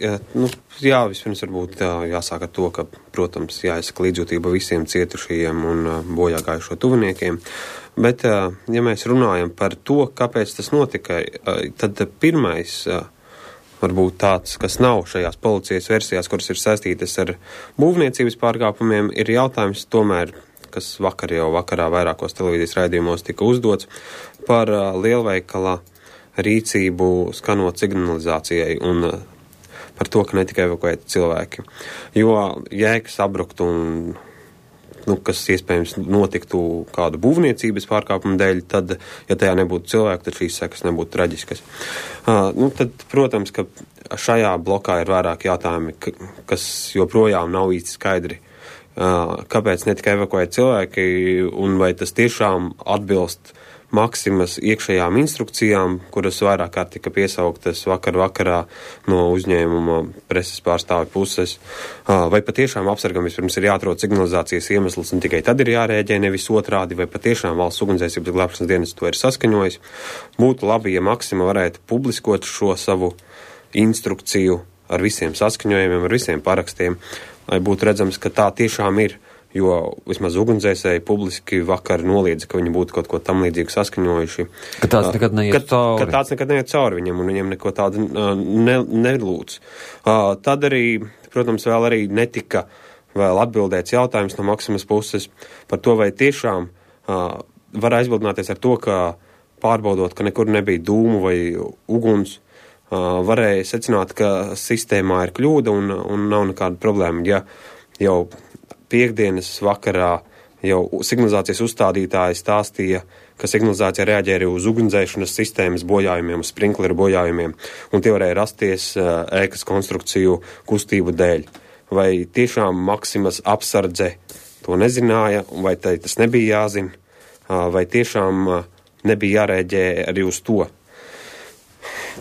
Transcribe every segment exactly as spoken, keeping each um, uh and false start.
jā, nu, jā, vispirms varbūt jā, jāsāk ar to, ka, protams, jāizsaka līdzjūtība visiem cietušajiem un bojā gājušo tuviniekiem. Bet, ja mēs runājam par to, kāpēc tas notika, tad pirmais, varbūt tāds, kas nav šajās policijas versijās, kuras ir saistītas ar būvniecības pārkāpumiem, ir jautājums tomēr, kas vakar jau vakarā vairākos televīzijas raidījumos tika uzdots, par lielveikala rīcību skanot signalizācijai un par to, ka netika evakuēti cilvēki. Jo jēgas abrukt un, nu, kas iespējams notiktu kādu būvniecības pārkāpumu dēļ, tad, ja tajā nebūtu cilvēku, tad šīs sekas nebūtu traģiskas. Uh, nu, tad, protams, ka šajā blokā ir vairāk jautājumi, kas joprojām nav īsti skaidri. Uh, kāpēc netika evakuēti cilvēki un vai tas tiešām atbilst Maksimas iekšējām instrukcijām, kuras vairāk kārt tika piesauktas vakar vakarā no uzņēmuma preses pārstāvju puses. Uh, vai patiešām apsargam vispirms ir jāatrod signalizācijas iemesls un tikai tad ir jārēģē, nevis otrādi, vai patiešām valsts ugunsdzēsības glābšanas dienas to ir saskaņojis. Būtu labi, ja Maksima varētu publiskot šo savu instrukciju ar visiem saskaņojumiem, ar visiem parakstiem, lai būtu redzams, ka tā tiešām ir, jo vismaz ugunsdzēsēji publiski vakar noliedza, ka viņi būtu kaut ko tam līdzīgu saskaņojuši. Ka tāds nekad neiet ka, cauri. Ka tāds nekad neiet cauri viņam, un viņiem neko tādu ne, nelūdz. Uh, tad arī, protams, vēl arī netika vēl atbildēts jautājums no Maksimas puses par to, vai tiešām uh, var aizbildināties ar to, ka pārbaudot, ka nekur nebija dūmu vai uguns, uh, varēja secināt, ka sistēmā ir kļūda un, un nav nekāda problēma. Ja jau piekdienas vakarā jau signalizācijas uzstādītāji stāstīja, ka signalizācija reaģē arī uz ugunsdzēšanas sistēmas bojājumiem, uz sprinkleru bojājumiem, un tie varēja rasties uh, ēkas konstrukciju kustību dēļ. Vai tiešām Maksimas apsardze to nezināja, vai tai tas nebija jāzina, uh, vai tiešām uh, nebija jārēģē arī uz to.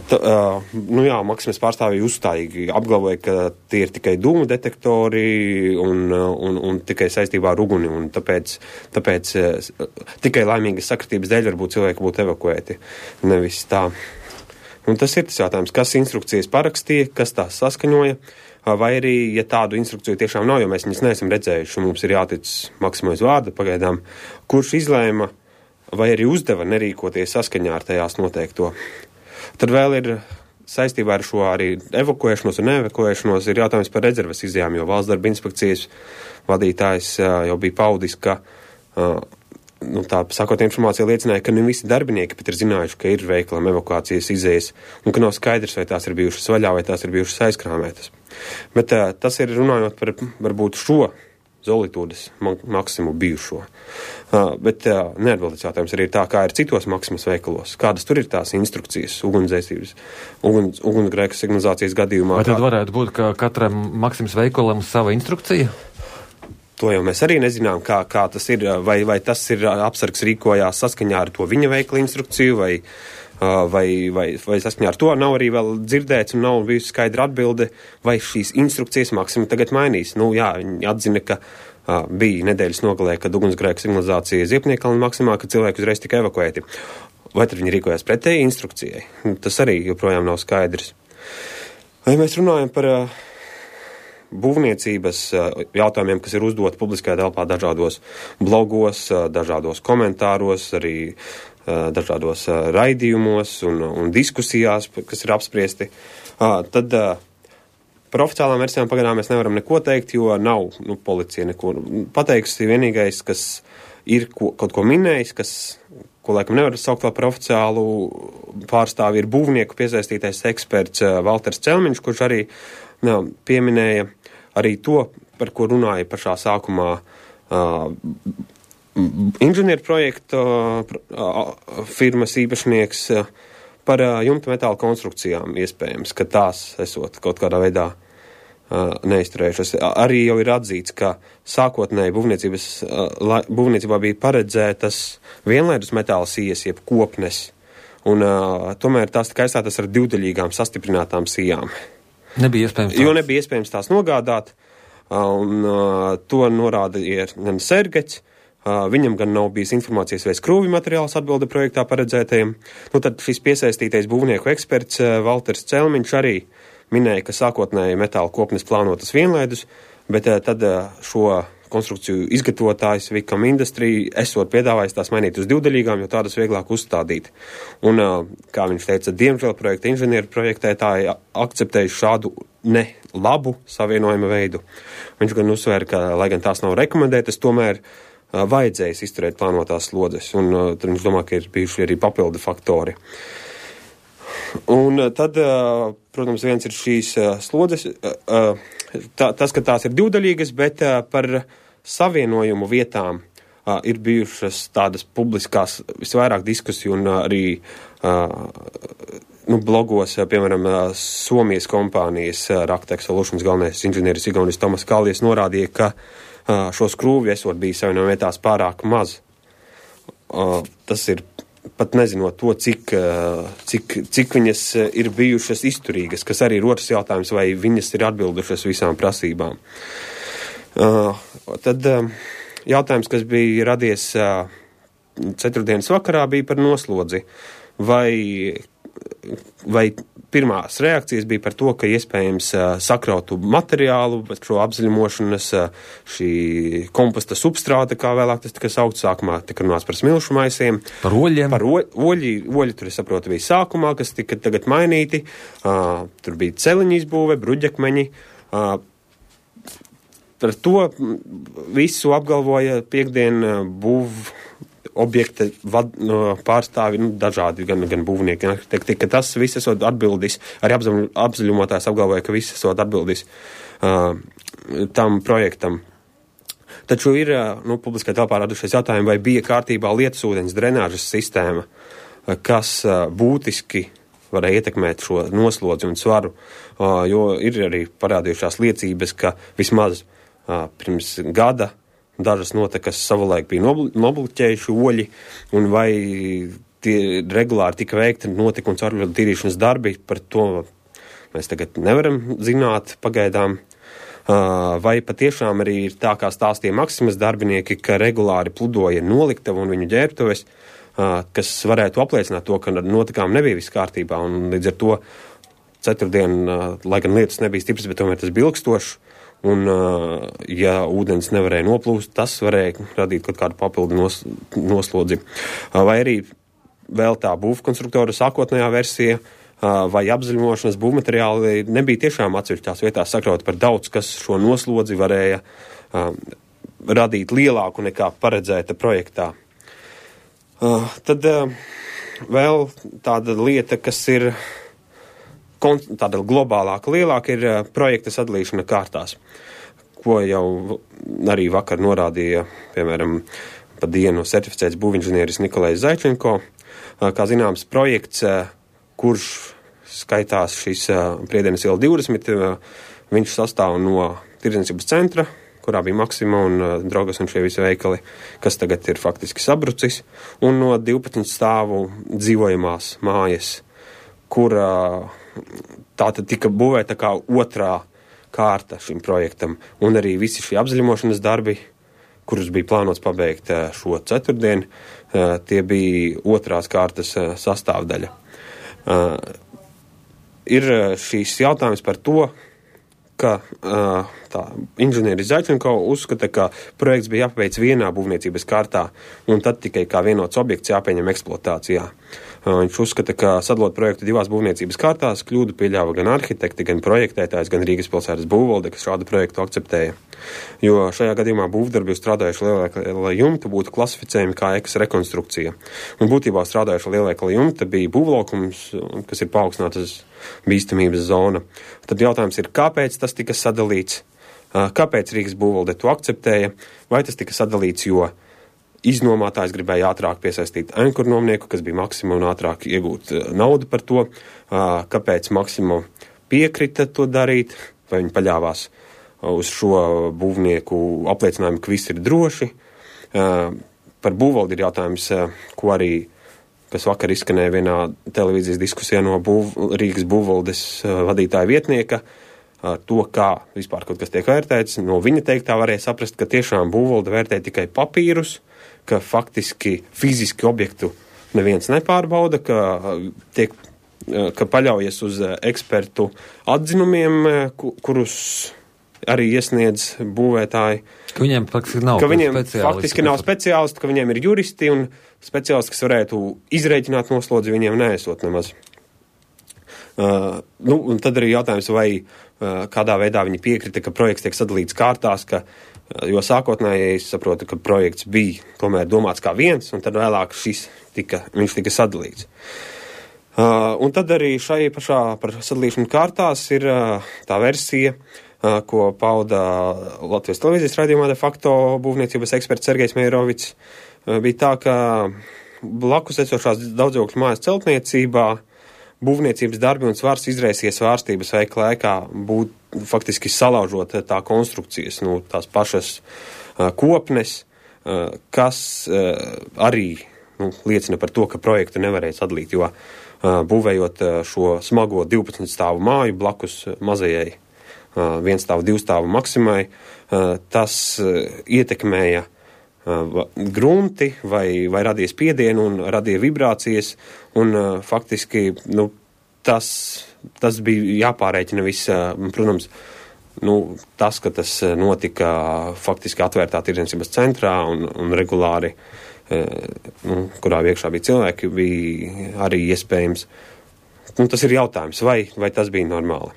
Ta, uh, nu jā, Maksimas pārstāvji uzstājīgi apgalvoja, ka tie ir tikai dūmu detektori un, un, un tikai saistībā ar uguni, un tāpēc, tāpēc uh, tikai laimīgas sakritības dēļ varbūt cilvēki būtu evakuēti, nevis tā. Un tas ir tas jautājums, kas instrukcijas parakstīja, kas tās saskaņoja, vai arī, ja tādu instrukciju tiešām nav, jo mēs viņas neesam redzējuši, un mums ir jātic Maksimai uz vārdu pagaidām, kurš izlēma vai arī uzdeva nerīkoties saskaņā ar tajās noteikto. Tad vēl ir saistībā ar šo arī evakuēšanos un neevakuēšanos ir jautājums par rezerves izjām, jo valsts darba inspekcijas vadītājs jau bija paudis, ka, nu tā sakot, informācija liecināja, ka ne visi darbinieki pat ir zinājuši, ka ir veikalam evakuācijas izējas un ka nav skaidrs, vai tās ir bijušas vaļā, vai tās ir bijušas aizkrāmētas. Bet tas ir runājot par varbūt šo Zolitūdes Maksimu bijušo. Uh, bet uh, neatbildēts jautājums arī tā, kā ir citos Maksimas veikalos. Kādas tur ir tās instrukcijas ugunsdzēsības, uguns, ugunsgrēka signalizācijas gadījumā? Vai tad varētu būt, ka katram Maksimas veikalam sava instrukcija? To jau mēs arī nezinām, kā, kā tas ir, vai, vai tas ir apsargs rīkojās saskaņā ar to viņa veikla instrukciju, vai, vai, vai, vai saskaņā ar to nav arī vēl dzirdēts un nav bijusi skaidra atbilde, vai šīs instrukcijas Maksima tagad mainīs. Nu jā, viņi atzina, ka uh, bija nedēļas nogalē, kad ugunsgrēka signalizācija Ziepniekalna Maksimā, ka cilvēki uzreiz tika evakuēti. Vai tad viņi rīkojās pretēji instrukcijai? Tas arī joprojām nav skaidrs. Vai mēs runājam par uh, būvniecības jautājumiem, kas ir uzdoti publiskajā telpā dažādos blogos, dažādos komentāros, arī dažādos raidījumos un, un diskusijās, kas ir apspriesti, tad par oficiālām versijām pagaidām mēs nevaram neko teikt, jo nav, nu, policija neko pateikusi. Vienīgais, kas ir ko, kaut ko minējis, kas, ko laikam nevar saukt vēl par oficiālu pārstāvi, ir būvnieku piesaistītais eksperts Valters Celmiņš, kurš arī nā, pieminēja arī to, par ko runāja pašā sākumā uh, inženieru projekta uh, firmas īpašnieks uh, par uh, jumta metāla konstrukcijām iespējams, ka tās esot kaut kādā veidā uh, neizturējušas. Arī jau ir atzīts, ka sākotnēji būvniecības, uh, būvniecībā bija paredzētas vienlaidus metāla sijas, jeb kopnes, un uh, tomēr tās tika aizstātas ar divdaļīgām sastiprinātām sijām. Nebija iespējams tās. Jo nebija iespējams tās nogādāt, un uh, to norādīja gan Sergeķis, uh, viņam gan nav bijis informācijas vai skrūvju materiāls atbilde projektā paredzētajiem. Nu, tad šis piesaistītais būvnieku eksperts uh, Valters Celmiņš arī minēja, ka sākotnēji metāla kopnes plānotas vienlaidus, bet tad šo konstrukciju izgatavotājs Vicam Industry esot piedāvājis tās mainīt uz divdaļīgām, jo tādas vieglāk uzstādīt. Un, kā viņš teica, diemžēl projekta inženieri projektētāji akceptējuši šādu ne labu savienojuma veidu. Viņš gan uzsvēra, ka, lai gan tās nav rekomendētas, tomēr vajadzējis izturēt plānotās slodzes, un tad viņš domā, ka ir bijuši arī papildu faktori. Un tad, protams, viens ir šīs slodzes, tā, tas, ka tās ir divdaļīgas, bet par savienojumu vietām ir bijušas tādas publiskās visvairāk diskusiju un arī nu, blogos, piemēram, Somijas kompānijas Raktek Solutions galvenais inženieris Igaunis Tomas Kallies norādīja, ka šo skrūvju esot bijis savienojuma vietās pārāk maz. Tas ir pat nezinot to, cik, cik, cik viņas ir bijušas izturīgas, kas arī ir otrs jautājums, vai viņas ir atbildušas visām prasībām. Uh, tad uh, jautājums, kas bija radies uh, ceturtdienas vakarā, bija par noslodzi. Vai, vai pirmās reakcijas bija par to, ka iespējams uh, sakrautu materiālu, bet šo apzaļumošanas, uh, šī komposta substrāta, kā vēlāk tas tika saukts, sākumā tika runāts par smilšu maisiem. Par oļiem. Par o, oļi, oļi tur, es saprotu, bija sākumā, kas tika tagad mainīti. Uh, tur bija celiņu izbūve, bruģakmeņi. Uh, par to visu apgalvoja piekdien būv objekta vad, no, pārstāvi, nu, dažādi, gan, gan būvnieki, gan arhitekti, ka tas viss esot atbildis, arī apzaļumotājs apgalvoja, ka viss esot atbildis uh, tam projektam. Taču ir, uh, nu, publiskai telpā radušies jautājumi, vai bija kārtībā lietusūdens drenāžas sistēma, uh, kas uh, būtiski varēja ietekmēt šo noslodzi un svaru, uh, jo ir arī parādījušās liecības, ka vismaz uh, pirms gada dažas notekas savulaik bija nobloķējuši oļi, un vai tie regulāri tika veikti notika un caurvadu tīrīšanas darbi, par to mēs tagad nevaram zināt pagaidām. Vai patiešām arī ir tā, kā stāstīja Maksimas darbinieki, ka regulāri pludoja noliktavu un viņu ģērbtuves, kas varētu apliecināt to, ka notikām nebija viss kārtībā, un līdz ar to ceturtdien, lai gan lietas nebija stipras, bet tomēr tas bija ilgstošs. Un, ja ūdens nevarēja noplūst, tas varēja radīt kaut kādu papildu nos, noslodzi. Vai arī vēl tā būvkonstruktora sākotnējā versija, vai apzaļumošanas būvmateriāli nebija tiešām atsevišķās vietās sakrauti par daudz, kas šo noslodzi varēja radīt lielāku nekā paredzēta projektā. Tad vēl tāda lieta, kas ir tāda globālāka, lielāka, ir projekta sadalīšana kārtās, ko jau arī vakar norādīja, piemēram, pa dienu certificēts būvinženieris Nikolais Zaičenko. Kā zināms, projekts, kurš skaitās šis Priedienas iela divdesmit, viņš sastāv no tirdzniecības centra, kurā bija Maksima un Drogas un šie visi veikali, kas tagad ir faktiski sabrucis, un no divpadsmit stāvu dzīvojamās mājas, kur tā tad tika būvēta kā otrā kārta šim projektam, un arī visi šie apzaļumošanas darbi, kurus bija plānots pabeigt šo ceturtdienu, tie bija otrās kārtas sastāvdaļa. Ir šīs jautājums par to, ka tā inženieris Zaičenko uzskata, ka projekts bija jāpabeidz vienā būvniecības kārtā, un tad tikai kā vienots objekts jāpieņem eksploatācijā. Viņš uzskata, ka sadalot projektu divās būvniecības kārtās kļūdu pieļāva gan arhitekti, gan projektētājs, gan Rīgas pilsētas būvvalde, kas šādu projektu akceptēja. Jo šajā gadījumā būvdarbi strādājuši lielveikala jumta būtu klasificējumi kā ēkas rekonstrukcija. Un būtībā strādājuši lielveikala jumta bija būvlaukums, kas ir paaugstinātas bīstamības zona. Tad jautājums ir, kāpēc tas tika sadalīts, kāpēc Rīgas būvvalde to akceptēja, vai tas tika sadalīts, jo iznomātājs gribēja ātrāk piesaistīt ankurnomnieku, kas bija Maksima, un ātrāk iegūt naudu par to, kāpēc Maksima piekrita to darīt, vai viņi paļāvās uz šo būvnieku apliecinājumu, ka viss ir droši. Par būvvaldi ir jautājums, ko arī, kas vakar izskanēja vienā televīzijas diskusijā no būv, Rīgas būvvaldes vadītāja vietnieka, to, kā vispār kaut kas tiek vērtēts. No viņa teiktā varēja saprast, ka tiešām būvvalde vērtē tikai papīrus, ka faktiski fiziski objektu neviens nepārbauda, ka tiek ka paļaujas uz ekspertu atzinumiem, kurus arī iesniedz būvētāji. Ka viņiem faktiski nav ka viņiem faktiski nav speciālisti, ka viņiem ir juristi un speciālisti, kas varētu izrēķināt noslodzi, viņiem neesot nemaz. Uh, nu, un tad arī jautājums, vai uh, kādā veidā viņi piekrita, ka projekts tiek sadalīts kārtās, ka, uh, jo sākotnēji es saprotu, ka projekts bija tomēr domāts kā viens, un tad vēlāk šis tika, viņš tika sadalīts. Uh, un tad arī šai pašā par sadalīšanu kārtās ir uh, tā versija, uh, ko pauda Latvijas televīzijas raidījumā de facto būvniecības eksperts Sergejs Meirovics. Uh, bija tā, ka blakus esošās daudzdzīvokļu mājas celtniecībā būvniecības darbi un svars izraisies svārstības veika laikā, būt faktiski salaužot tā konstrukcijas, nu, tās pašas uh, kopnes, uh, kas uh, arī nu, liecina par to, ka projektu nevarēja sadalīt, jo uh, būvējot uh, šo smago divpadsmit stāvu māju blakus mazajai uh, vienstāvu, divstāvu maksimai, uh, tas uh, ietekmēja grunti vai, vai radīja spiedienu un radīja vibrācijas, un uh, faktiski nu, tas, tas bija jāpārēķina viss, uh, protams, nu, tas, ka tas notika faktiski atvērtā tirdzniecības centrā un, un regulāri, uh, nu, kurā iekšā bija cilvēki, bija arī iespējams. Nu, tas ir jautājums, vai, vai tas bija normāli.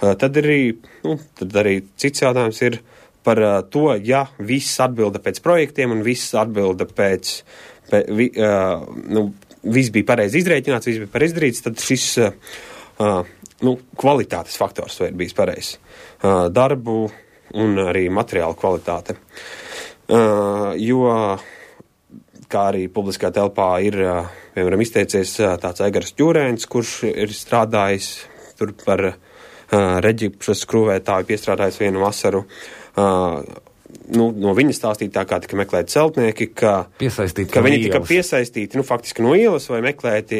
Uh, tad, arī, nu, tad arī cits jautājums ir, par to, ja viss atbilda pēc projektiem un viss atbilda pēc, pēc vi, uh, nu, viss bija pareizi izrēķināts, viss bija pareizi izdarīts, tad šis uh, nu, kvalitātes faktors vai ir bijis pareizs. Uh, darbu un arī materiālu kvalitāte. Uh, jo, kā arī publiskā telpā ir, uh, piemēram, izteicies uh, tāds Aigars Ķūrēns, kurš ir strādājis tur par uh, reģipšas skrūvētāju, piestrādājis vienu vasaru. Uh, nu, no viņa stāstītā, kā tika meklēti celtnieki, ka, ka viņi tika piesaistīti, nu, faktiski no ielas vai meklēti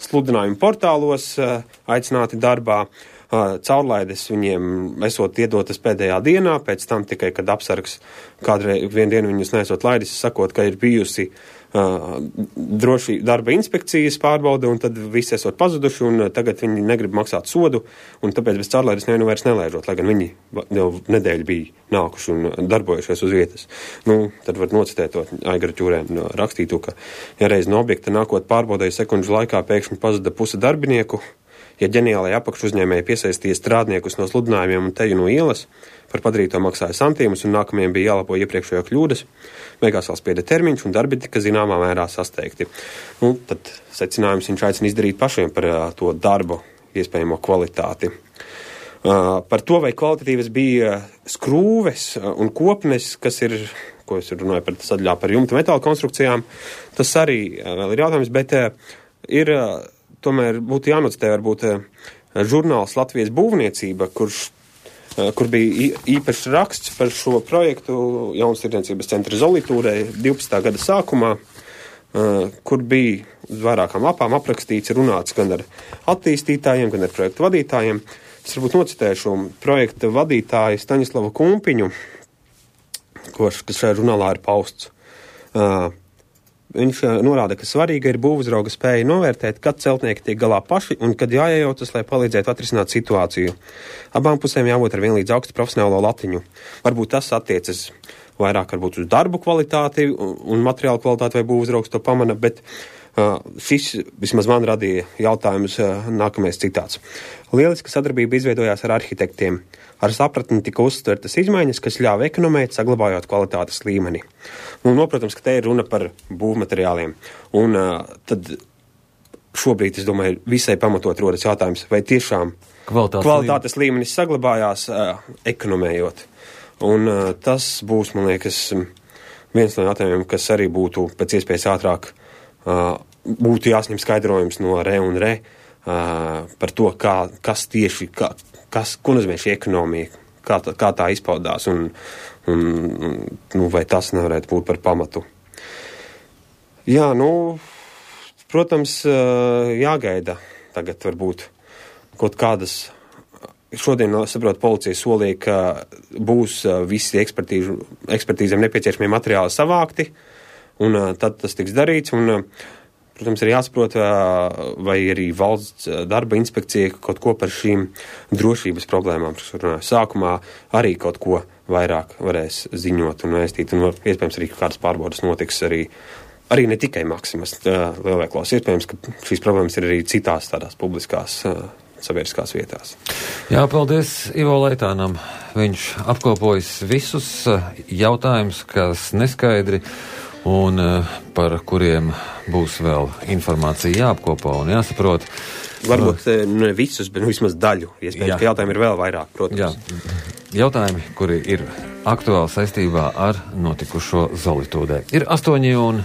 sludinājumu portālos, uh, aicināti darbā. Uh, caurlaides viņiem esot iedotas pēdējā dienā, pēc tam tikai, kad apsargs kādreiz vienu dienu viņus nesot laidis, sakot, ka ir bijusi uh, droši darba inspekcijas pārbauda, un tad visi esot pazuduši, un tagad viņi negrib maksāt sodu, un tāpēc bez caurlaides nevienu vairs nelaižot, lai gan viņi jau nedēļu bija nākuši un darbojušies uz vietas. Nu, tad var nocitēt to Aigara Ķūrēnu rakstītu, ka, ja reiz no objekta nākot pārbaudēju sekundžu laikā pēkšņi pazuda puse darbinieku, ja ģeniālai apakšu uzņēmēji piesaistīja strādniekus no sludinājumiem un teju no ielas, par padarīto maksāja santīmus un nākamajiem bija jālabo iepriekšējo kļūdas, beigās vēl spieda termiņš un darbi tika zināmā mērā sasteigti. Nu, tad secinājums viņš aicina izdarīt pašiem par uh, to darbu iespējamo kvalitāti. Uh, par to, vai kvalitatīvas bija skrūves un kopnes, kas ir, ko es runāju par sadaļā par jumta metāla konstrukcijām, tas arī uh, vēl ir jautājums, bet uh, ir... Uh, Tomēr būtu jānocitē varbūt žurnāls Latvijas būvniecība, kurš, kur bija īpašs raksts par šo projektu Jaunas tirdzniecības centra Zolitūrē divpadsmitā gada sākumā, kur bija uz vairākām lapām aprakstīts, runāts gan ar attīstītājiem, gan ar projektu vadītājiem. Es varbūt nocitēšu projekta vadītāju Staņislavu Kumpiņu, kas šajā žurnālā ir pausts. Viņš norāda, ka svarīga ir būvuzrauga spēja novērtēt, kad celtnieki tiek galā paši un kad jāiejaucas, lai palīdzētu atrisināt situāciju. Abām pusēm jābūt ar vienlīdz augstu profesionālo latiņu. Varbūt tas attiecas vairāk varbūt uz darbu kvalitāti un materiālu kvalitāti vai būvuzraugs to pamana, bet uh, šis vismaz man radīja jautājumus uh, nākamais citāts. Lieliska sadarbība izveidojās ar arhitektiem. Ar sapratni tika uztvertas izmaiņas, kas ļāva ekonomēt, saglabājot kvalitātes līmeni. Nu, no, protams, ka te ir runa par būvmateriāliem. Un uh, tad šobrīd, es domāju, visai pamatot rodas jautājums, vai tiešām kvalitātes, kvalitātes līmenis saglabājās uh, ekonomējot. Un uh, tas būs, man liekas, viens no jautājumiem, kas arī būtu pēc iespējas ātrāk uh, būtu jāsņem skaidrojums no re un re uh, par to, kā, kas tieši... Kā, Kas, ko nozīmē šī ekonomija, kā tā, kā tā izpaudās un, un, un nu, vai tas nevarētu būt par pamatu. Jā, nu, protams, jāgaida tagad varbūt kaut kādas, šodien, saprot, policija solīja, ka būs visi ekspertīzēm nepieciešamie materiāli savākti, un tad tas tiks darīts, un protams, ir jāsaprot, vai arī valsts darba inspekcija kaut ko par šīm drošības problēmām, kas runāja sākumā, arī kaut ko vairāk varēs ziņot un vēstīt, un iespējams arī kādas pārbaudas notiks arī, arī ne tikai Maximas lielveiklos. Iespējams, ka šīs problēmas ir arī citās tādās publiskās sabiedriskās vietās. Jā, paldies Ivo Leitānam. Viņš apkopojas visus jautājumus, kas neskaidri un par kuriem būs vēl informācija jāapkopo un jāsaprot. Varbūt ne visus, bet vismaz daļu. Iespējams, Jā. ka jautājumi ir vēl vairāk, protams. Jā. Jautājumi, kuri ir aktuāli saistībā ar notikušo Zolitūdē. Ir astoņi un